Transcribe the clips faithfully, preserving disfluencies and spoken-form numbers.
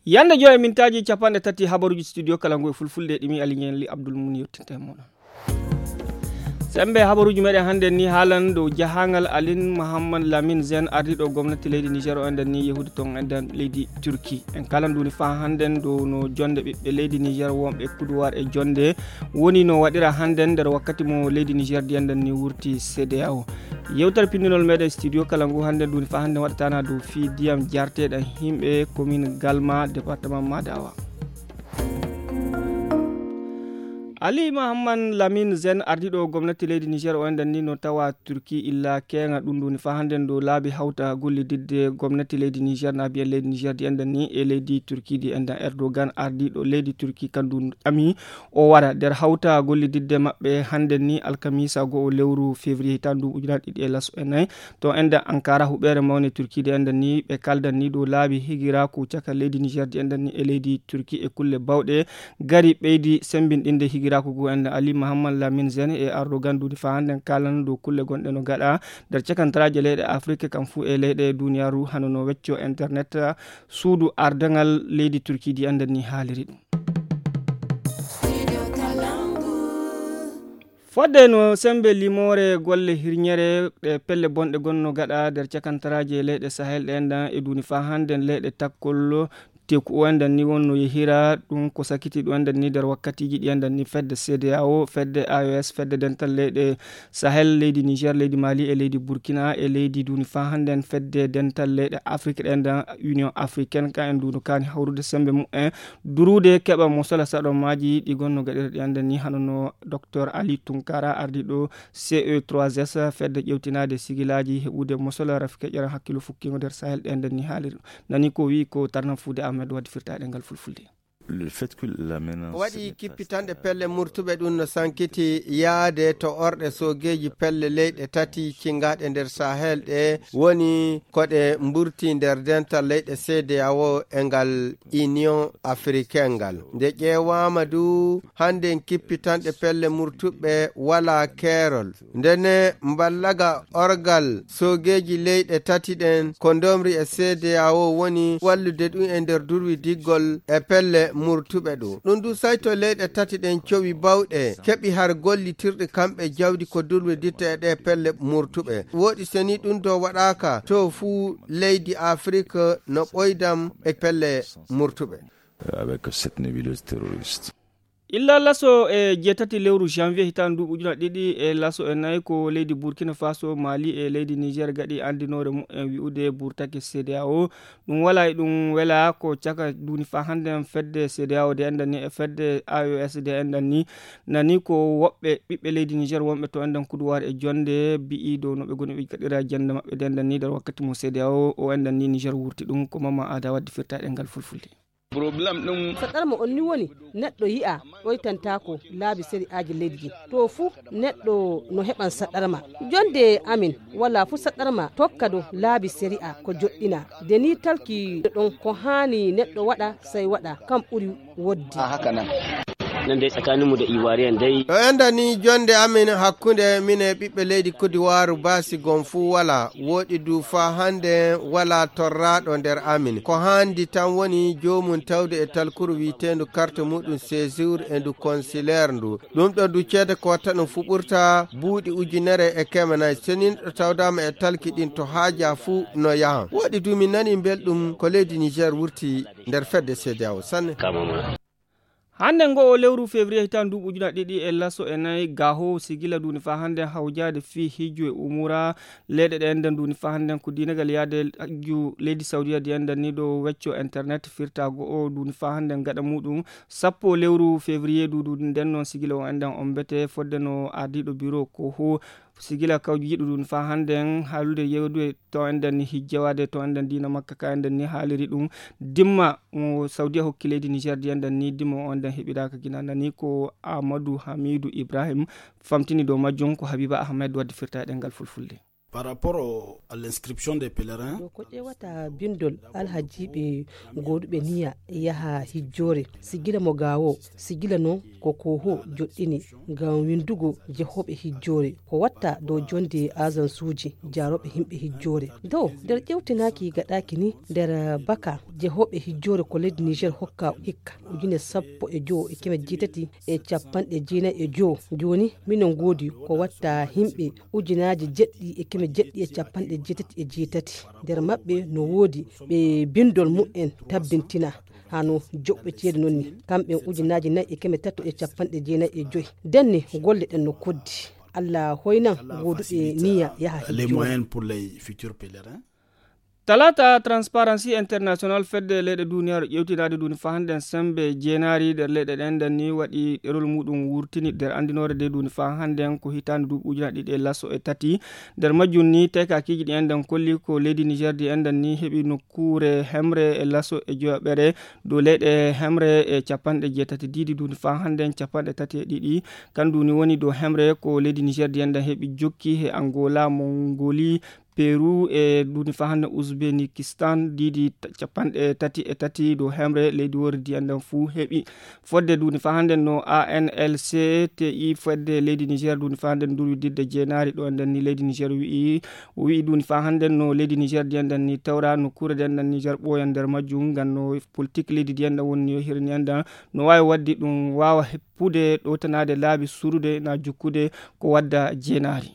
Yande joy mintaaji capanɗe tati habaruuji studio kala ngu e fulfulde ɗimi Aliñen li Abdul Mun yettinta e moɗon. Sembe habaruuji meɗen hannde ni haalan dow jahangal Alin Mohammad Lamin Zen ardiɗo gomnati leydi Niger o enden ni yehude ton enden leydi Turki. En kalan duni fa hannden dow no jonde ɓiɓɓe leydi Niger wonɓe kuduwar e jonde woni no waɗira hannden nder wakkati mo leydi Niger di enden ni wurti C D A O. Yewtere pinndinol meɗen studio kala ngu hannden duni fa hannden waɗatana dow fii diyam jarteɗam himɓe commune Galma département Madawa. Ali Mahamman Lamin Zen ardiɗo gomnati leydi Niger o enden ni no tawa Turki illa keŋa ɗum ɗum ni fa hannden dow laabi hawta gollididde gomnati leydi Niger na biyen leydi Niger di enden ni e leydi Turki di enden Erdogan ardiɗo leydi Turki kandu ami o wara nder hawta gollididde maɓɓe hannden ni alkamisa go'o lewru février hitan ndu ujunaaji ɗiɗi e laso e nayi. To enden Ankara huɓeere mawne Turki de enden ni ɓe kaldan ni dow laabi higiraaku caka leydi Niger di enden ni e leydi Turki e kulle bawɗe gari ɓeydi sembinɗinde higiraaku ngu enden Ali Mahamman Lamin Zen e Erdogan duuɗi fa hannden kaalana dow kulle gonɗe no gaɗa nder cakantaraaje leyɗe Afrik kam fuu e leyɗe duniyaaru hano no wecco internet suudu ardangal leydi Turki di enden ni haaliri ɗum. Fodde no sembe limoore golle hirñere ɗe pelle bonɗe gonno gaɗa nder cakantaraaje leyɗe Sahel ɗe enɗan e duuni fa hannden leyɗe takkol teku o enɗan ni wonno yehira ɗum ko sakiti ɗum enɗan ni nder wakkatiiji ɗi enɗan ni fedde C D A O, fedde A E S, fedde dental leyɗe Sahel, leydi Niger, leydi Mali e leydi Burkina e leydi duuni fa hannden fedde dental leyɗe Afrik ɗe enɗan Union Africaine ka en duuno kaani hawrude sembe mu'en durude keɓa mosola saɗo maaji ɗi gonno gaɗira ɗi enɗan ni hano no Docteur Ali Tunkara ardiɗo C E trois S fedde ƴewtinaade sigilaaji heɓude mosola rafi keƴeran hakkilo fukkiingo nder Sahel ɗe enɗan ni haaliri ɗum. Nani ko wi'i ko tarnan fuude Ahmed waddi firtaade ngal fulfulde. Le fait que la menace waɗi kippitanɗe pelle murtuɓe ɗum no sankiti yaade to orɗe soogeeji pelle leyɗe tati cingaɗe nder Sahel ɗe woni ko ɗe mburti nder dental leyɗe C D A O e ngal Union Africaine ngal. Nde ƴeewaama du hannden kippitanɗe pelle murtuɓe walaa keerol. Ndene mballaga orgal soogeeji leyɗe tati ɗen ko ndomri e C D A O woni wallude ɗum e nder durwidiggol e pelle murtuɓe ɗo. Ɗum du sayto leyɗe tati ɗen cowi bawɗe keɓi har gollitirɗi kamɓe jawdi ko durwiditta e ɗe pelle murtuɓe. Woɗi seni ɗum do waɗaaka to fuu leydi Afrik no ɓoydam e pelle murtuɓe. Avec cette nébuleuse terroriste. Illa laso e jeetati lewru janvier hitaande ndu ujuna ɗiɗi e laso e nayi ko leydi Burkina Faso, Mali e leydi Niger gaɗi anndinoore mumen wi'ude burtake C D A O. Ɗum wala e ɗum wela ko caka duni fa hannden fedde C D A O de enɗan ni e fedde A E S de enɗan ni. Nani ko woɓɓe ɓiɓɓe leydi Niger wonɓe to enɗan kuduwaare e jonde bi'i dow no ɓe goni ɓe gaɗira jannde maɓɓe de enɗan ni nder wakkati mo C D A O o enɗan ni Niger wurti ɗum ko Mama Ada waddi firta e ɗemngal fulfulde. Problème ɗum. Saɗɗarma on ni woni neɗɗo yi'a ɗoytantaako laabi sari'aaji leydi. To fuu neɗɗo no heɓan saɗɗarma. Jonde amin wala fuu saɗɗarma tokka dow laabi sari'a ko joɗɗina. De ni talki ɗon ko haani neɗɗo waɗa, sey waɗa. Kam ɓuri wodde. A haka nan. Nan dai tsakaninmu da Ivoirian dai. Ɗo enda ni jonde amin hakkunde min e ɓiɓɓe leydi Kodiwaaru baasi gom fuu wala. Woɗi du fa hande wala torraaɗo nder amin. Ko handi tan woni joomum tawde e talkuru wi'eteendu carte muɗum séjour e ndu consulaire ndu. Ɗum ɗo du ceede ko watta ɗum fu ɓurta buuɗi ujunere e keme nayi. Seninɗo tawdaama e talki ɗin to haaja fuu no yahan. Woɗi du min nani belɗum ko leydi Niger wurti nder fedde C D A O sanne. Hannde ngo o lewru février hitaan duuɓi ujuna ɗiɗi e laso e nayi, gaho sigila duni fa hannde hawjaade fii hijju e umura leyɗe ɗe enden duni fa hannde ko diinagal yaade hajju leydi Saudiya di enden ni ɗo wecco internet firta go o duni fa hannde gaɗa muɗum sappo lewru février du, du nden noon sigila o enden on mbete fodde no ardiiɗo bureau ko ho sigila kawju yiɗu ɗum fa hannde en haalude yewdude to enden ni hijjawaade to enden diina makka ka enden ni haaliri ɗum dimma mo Saudiya hokki leydi Niger di enden ni dimma o enden heɓiraaka gina nani ko Amadou Hamidou Ibrahim famtini dow majjum ko Habiba Ahmed waddi firta e ɗemngal fulfulde. Par rapport au- à l'inscription des pèlerins, ko ƴeewata bindol alhajiiɓe gooduɓe niya yaha hijjoore, sigila mo gaawo, sigila noon ko koho joɗɗini ngam winndugo jehooɓe hijjoore. Ko watta dow jonde agensuuji jaarooɓe yimɓe hijjoore. Dow nder ƴewtinaaki gaɗaaki ni nder baka jehooɓe hijjoore ko leydi Niger hokka hikka ujine sappo e jowo e keme jeetati e capanɗe jeenayi e jowo. Jooni minen ngoodi ko watta yimɓe ujunaaji jeɗɗi e keme jeɗɗi e capanɗe jeetati e jeetati. Nder maɓɓe no woodi ɓe bindol mumen tabbintina hano joɓɓe ceede noon ni. Kamɓe ujunaaji nayi e keme tato e capanɗe jeenayi e joyi. Denne golle ɗen no koddi. Allah hoynan gooduɓe niya yaha les hijjoore. Moyens pour les futurs pèlerins. Talaata, Transparency International, fedde leyɗe duniyaaru ƴewtinaade duuni faa hannden semmbe jeenaari nder leyɗe ɗen nden ni waɗi ɗerol muɗum wurtini nder anndinoore nde duuni faa hannden ko hitaande duuɓi ujunaaji ɗiɗi e laso e tati. Nder majjum ni tekakiiji ɗi enɗen kolli ko leydi Niger ndi enɗen ni heɓi nokkuure hemre e laso e joyaɓere dow leyɗe hemre e capanɗe jeetati diidi duuni faa hannden capanɗe tati e ɗiɗi. Kan duuni woni dow hemre ko leydi Niger ndi enɗen heɓi jokki he Angola, Mongoli, Peru e duuni faa hannden Uzbekistan diidi t- capanɗe tati e tati dow hemre leydi wordi enɗen fuu heɓi. Fodde duuni faa hannden no A N L C T I fodde leydi Niger duuni faa hannden ndurwi didde jeenaari ɗo enɗen ni leydi Niger wi'i o wi'i duuni faa hannden no leydi Niger ndi enɗen ni tawra nokkuure nde enɗen Niger ɓooyan nder majjum ngam no politik leydi ndi enɗen woni yo hirni enɗen no waawi waɗde ɗum waawa heppude ɗowtanaade laabi surude na jukkude ko wadda jeenaari.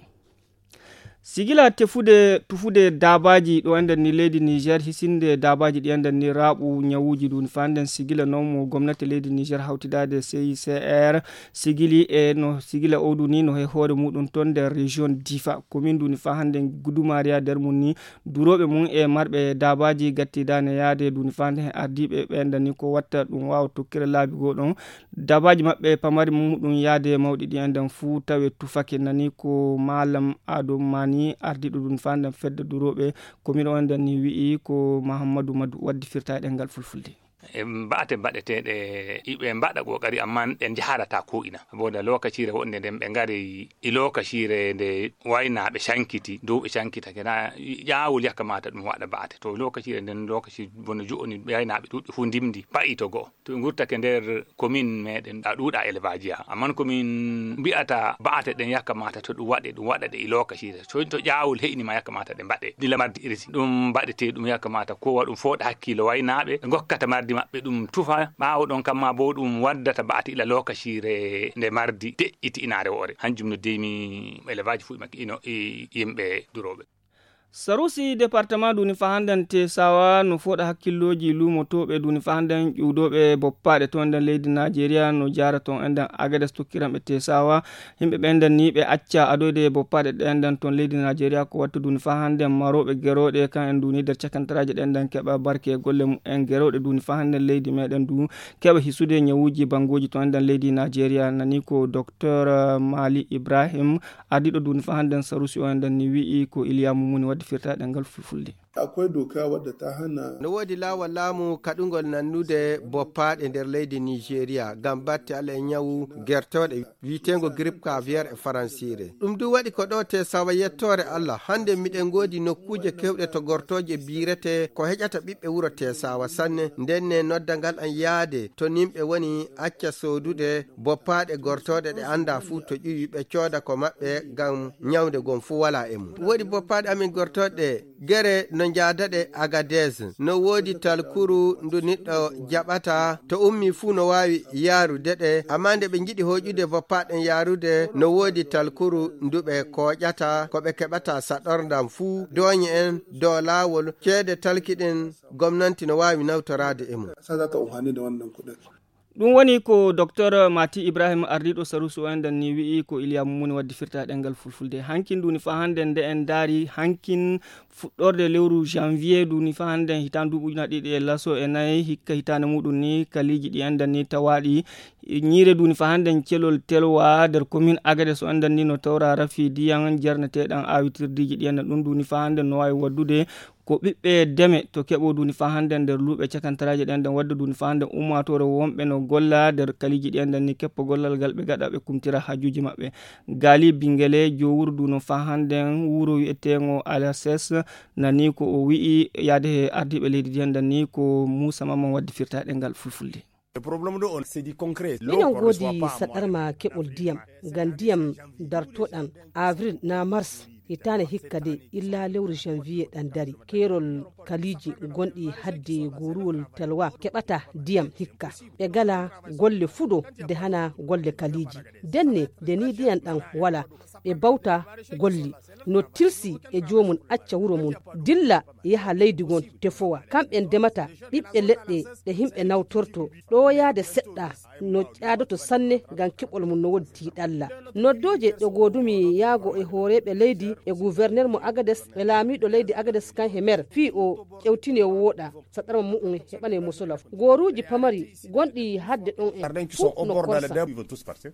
Sigila tefude tufude daabaaji ɗo enɗen ni leydi Niger hisinde daabaaji ɗi enɗen ni raaɓu ñawuuji ɗum faa nden sigila noon mo gomnati leydi Niger hawtidaade C I C R sigili e no sigila owdu ni no he hoore muɗum toon nder région Difa commune ɗum faa hannden gudumariya nder mum ni durooɓe mum e marɓe daabaaji gattidaane yaade ɗum faa nden ardiiɓe ɓe enɗen ni ko watta ɗum waawa tokkira laabi goo ɗon daabaaji maɓɓe pamari muɗum yaade mawɗi ɗi enɗen fuu tawe tufake nani ko maalam Ado Mani ardiiɗo ɗum faa nden fedde durooɓe ko miɗo enɗen ni wi'i ko Mahammadu Madu waddi firta e ɗemngal fulfulde. E mba'ate mbaɗeteeɗe iɓe mbaɗa ƙoƙari amma ɗe njaharataa ko ina saboda lokaciire woɗnde nden ɓe ngari e lokaciire nde waynaaɓe cankiti dow ɓe cankitake na ƴaawol yakka mata ɗum waɗa mba'ate to lokaciire nden lokaci bono jo'oni waynaaɓe ɗuuɗɓe fof ndimndi pa'i to go'o to ɓe ngurtake nder commune meɗen a ɗuuɗa élevage ya amma commune mbi'ata mba'ate ɗen yakka mata to ɗum waɗe ɗum waɗa ɗe e lokaciire to to ƴaawol he'ini ma yakka mata ɗe mbaɗe dila mardi irisi ɗum mbaɗete ɗum yakka mata kowa ɗum fooɗa hakkilo waynaaɓe ɓe ngokkata mardi maɓɓe ɗum tufa ɓaawo ɗon kamma bo ɗum waddata mba'ate ila lokaciire nde mardi de'iti inaare woore hanjum no deymi élevage fuɗi makki ino e yimɓe durooɓe. Sarusi département duni fahanden tesawa no fooɗa hakkillooji luumotooɓe duni fahanden ƴuwdooɓe boppaaɗe toon nden leydi Najeriya no jaara toon enɗen Agades tokkiranɓe tesawa. Yimɓe ɓen nden ni ɓe acca adoyde boppaaɗe ɗen nden toon leydi Najeriya ko wattu duni fahanden marooɓe gerooɗe kan en duni nder cakantaraaji ɗen nden keɓa barke e golle mum en gerooɗe duni fahanden leydi meɗen du keɓa hisude ñawuuji banngooji toon nden leydi Najeriya nani ko docteur Mali Ibrahim. Ardiiɗo duuni faa hannden Sarusi o enɗen ni wi'i ko Iliya Mumuni waddi firtaaɗe ngal fulfulde. Akwai doka wadda ta hana. No woodi laawol laamu kaɗungol nannude boppaaɗe nder leydi Nigeria ngam batte ala e ñawu gertooɗe wiyeteengo grippe aviaire e faransiire. Ɗum du waɗi ko ɗo Tesawa yettoore Allah. Hannde miɗen ngoodi nokkuuje keewɗe to gortooje biirete ko heƴata ɓiɓɓe wuro Tesawa sanne. Nden ne noddangal an yaade to nimɓe woni acca soodude boppaaɗe gortooɗe ɗe anndaa fuu to ƴuwi ɓe cooda ko maɓɓe ngam ñawnde gom fuu walaa e mum. Woodi boppaaɗe amin gortooɗe gere no njaada ɗe Agadez. No woodi talkuru ndu niɗɗo jaɓata to ummii fuu no waawi yaarude ɗe. Ammaa nde ɓe njiɗi hooƴude boppaaɗen yaarude no woodi talkuru ndu ɓe kooƴata ko ɓe keɓata saɗorndam fuu dooñe en dow laawol ceede talki ɗen gomnanti no waawi nawtoraade e mum. Ɗum woni ko docteur Mati Ibrahim ardiiɗo Sarusi o enɗen ni wi'i ko Iliya Mumuni waddi firta ɗengal fulfulde. Hankin ɗuni faa hannde nde en ndaari hankin fuɗɗorde lewru janvier ɗuni faa hannde hitaande duuɓi ujunaaji ɗiɗi e laso e nayi hikka hitaande muɗum ni kaliiji ɗi enɗen ni tawaaɗi Ñiire duuni fa hannden celol telwa nder komin Agades o anndan ni no tawra rafi diyan jarneteeɗan aawitirdiiji ɗi anndan ɗum duuni fa hannden no waawi waddude ko ɓiɓɓe deme to keɓo duuni fa hannden nder luuɓe cakantaraaji ɗi anndan wadda duuni fa hannden ummaatoore wonɓe no golla nder kaliiji ɗi anndan ni keppa gollal ngal ɓe gaɗa ɓe kumtira haajuuji maɓɓe. Gaali Bingele jowuru duuno fa hannden wuro wi'eteengo Alases nani ko o wi'i yaade he ardiiɓe leydi ɗi anndan ni ko Muusa Mamman waddi firtaaɗe ngal fulfulde. Minen ngoodi saɗarma keɓol ndiyam ngam ndiyam dartoɗan avril na mars hitaande hikka de illa lewru janvier ɗan dari keerol kaliiji gonɗi hadde goruwol telwa keɓata ndiyam hikka ɓe gala golle fuɗo de hana golle kaliiji denne de ni ndiyam ɗan wala ɓe bawta golli no tilsi e joomum acca wuro mum dilla yaha leydi ngon tefowa kamɓe ndemata ɓiɓɓe leɗɗe ɗe yimɓe nawtorto ɗoyaade seɗɗa no ƴaadoto sanne ngam keɓol mum no woodi tiiɗalla noddooje ɗe goodumi yaago e hooreeɓe leydi e guwerner mo agades e laamiiɗo leydi agades kan he mer fii o ƴewtine wooɗa saɗarma mu'um heɓane musulaf gooruuji pamari gonɗi hadde ɗon en fof no korsa.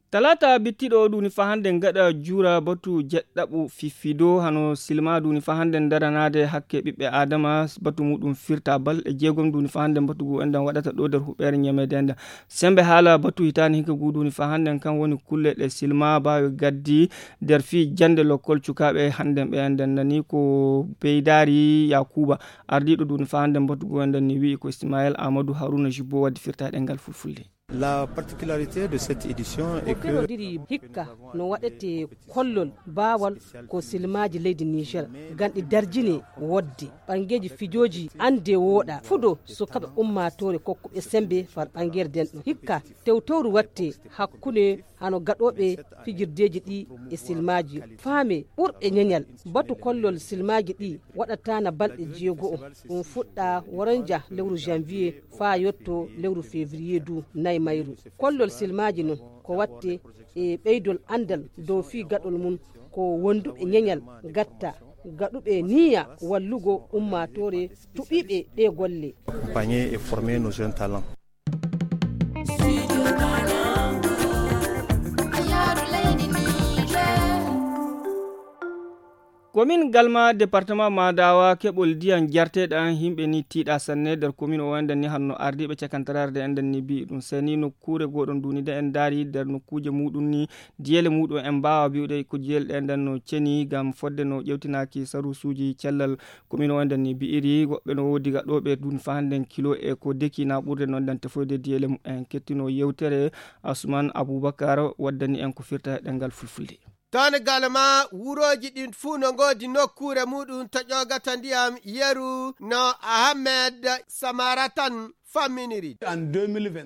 Talaata bittiɗo o ɗuni fa hannde ngaɗa juura batu jeɗɗaɓu fiffido hano silma ɗuni fa hannde ndaranaade hakke ɓiɓɓe aadama batu muɗum firta balɗe jeegom ɗuni fa hannde batu ngu enɗan waɗata ɗo nder huɓeere ñameede enɗan. Sembe haala batu hitaani hinka ngu ɗuni fa hannde kan woni kulle ɗe silma baawi gaddi nder fii jannde lokkol cukaaɓe hannde ɓe enɗan nani ko beydaari yakuuba ardiiɗo ɗuni fa hannde batu ngu enɗan ni wi'i ko ismael amadou haruna jubbo waddi firta ɗengal fulfulde. La particularité de cette édition est que hikka no waɗete kollol baawal ko silmaaji leydi niger ngam ɗi darjine wodde ɓanngeeji fijooji annde wooɗa fuɗo sukaɓe ummaatoore kokkuɓe sembe far ɓanngeere denɗo hikka tewtowru watte hakkunde hano gaɗooɓe fijirdeeji ɗi e silmaaji faame ɓurɓe ñeñal batu kollol silmaaji ɗi waɗataana balɗe jeego'o ɗum fuɗɗa woronja lewru janvier faa yotto lewru février du nayi mayru kollol silmaaji non ko watte e ɓeydol anndal dow fii gaɗol mum ko wonduɓe ñeñal gatta gaɗuɓe niya wallugo ummaatoore tuɓiiɓe ɗe golle. Accompagner et former nos jeunes talents. Komin galma département madawa keɓol ndiyan jarteɗan yimɓe ni tiiɗa sanne nder komin o enɗen ni hanno ardiɓe cakantaraare de enɗen ni mbi'i ɗum seni nokkuure goɗon nduni de en ndaari nder nokkuuje muɗum ni diyele muɗum en mbawa mbi'ude ko diyele ɗe enɗen no ceni ngam fodde no ƴewtinaaki sarusuuji cellal komin o enɗen ni mbi'iri woɓɓe no woodi gaɗoɓe ɗum fa hannden kilo e ko deki na ɓurde noon ɗan tefoyde diyele mumen kettino yewtere. Asuman Abubakar waddani en ko firta e ɗemngal fulfulde. Toon e Galma, wurooji ɗin fuu no ngoodi nokkuure muuɗum to ƴoogata ndiyam yeru no Ahmed Samaratan famminiri.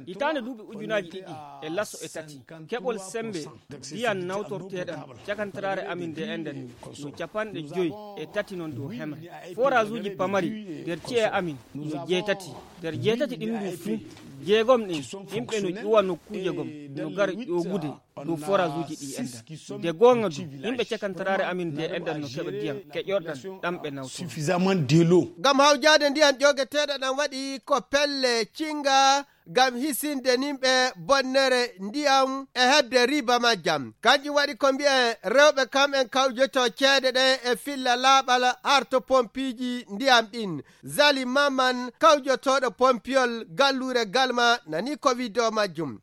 Hitaande duuɓi ujunaaji ɗiɗi e laso e tati, keɓol semmbe ndiyan nawtorteeɗan cakantaraare amin nde enɗan ni no capanɗe joy e tati non dow hemre. Foraajuuji pamari nder ci'e amin no jeetati. Nder jeetati ɗin ɗum fuu, jeegom ɗin yimɓe no ƴuwa nokkuuje gom no gara ƴoogude dow foraajuuji ɗi enɗan. Nde goonga du, yimɓe cakantaraare amin nde enɗan no keɓa ndiyam keƴorɗan ɗam ɓe nawtoo. Ngam hawjaade ndiyan ƴoogeteeɗo ɗan waɗi ko pelle cinga ngam hisinde nimɓe bonnere ndiyam e heɓde riba majjam. Kanjum waɗi ko mbi'en rewɓe kam'en kawjoto ceede ɗen e filla laaɓal harto pompiiji ndiyam ɗin. Zali Maman kawjotooɗo pompiyol galluure Galma nani ko widdoo majjum.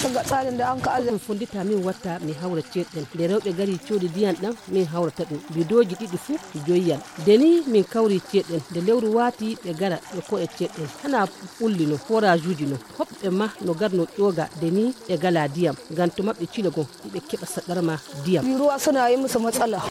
Ɗum fonndita min watta mi hawra ceeɗɗen nde rewɓe gari cooɗi ndiyan ɗan min hawrata ɗum bidooji ɗiɗi fuu joyyal. Nde ni min kawri ceeɗɗen nde lewru waati ɓe gara ɓe koɗa ceeɗɗen hana ɓulli no foraajuuji no hoɓɓe ma no garno ƴooga nde ni ɓe gala ndiyam ngam to maɓɓe cilo gon hiɓe keɓa saɗarma ndiyam. Ruwa suna yi musu matsala.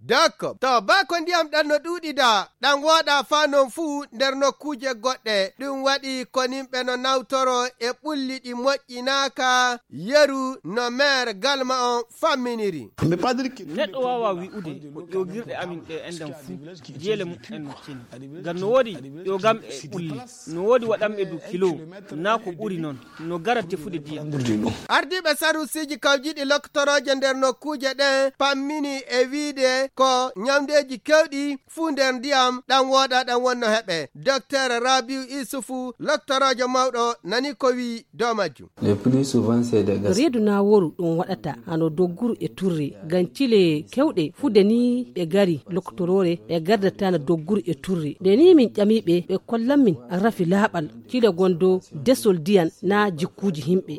Dakko to baa ko ndiyam ɗan no ɗuuɗida ɗan wooɗa faa non fuu nder nokkuuje goɗɗe ɗum waɗi ko nimɓe no nawtoro e ɓulli ɗi moƴƴinaaka yeru no meer Galma on famminiri. Neɗɗo waawaa wi'ude ko ƴoogirɗe amin ɗe enɗan fuu diyele mumen no ceni ngam no woodi ƴoogam e ɓulli no woodi waɗanɓe du kilo naa ko ɓuri non no gara tefude ndiyam. Ardiiɓe saruusiiji kawjiiɗi loktorooje nder nokkuuje ɗen pammini e wi'ude ko ñamdeeji kewɗi fuu nder ndiyam ɗan wooɗa ɗan wonno heɓe. Doktor Rabiu Isufu, loktoroojo mawɗo, nani ko wi'i dow majjum. Reedu naawooru ɗum waɗata hano dogguru e turri, ngam cile kewɗe fude ni ɓe gari loktoroore ɓe gardata no dogguru e turri. Nde ni min ƴamiiɓe, ɓe kollan min rafi laaɓal cile gondo desol diyan na jikkuuji himɓe.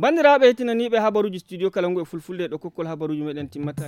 Banndiraaɓe hetinaniiɓe habaruuji studio kalangu e fulfulde, ɗo kokkol habaruuji meɗen timmata.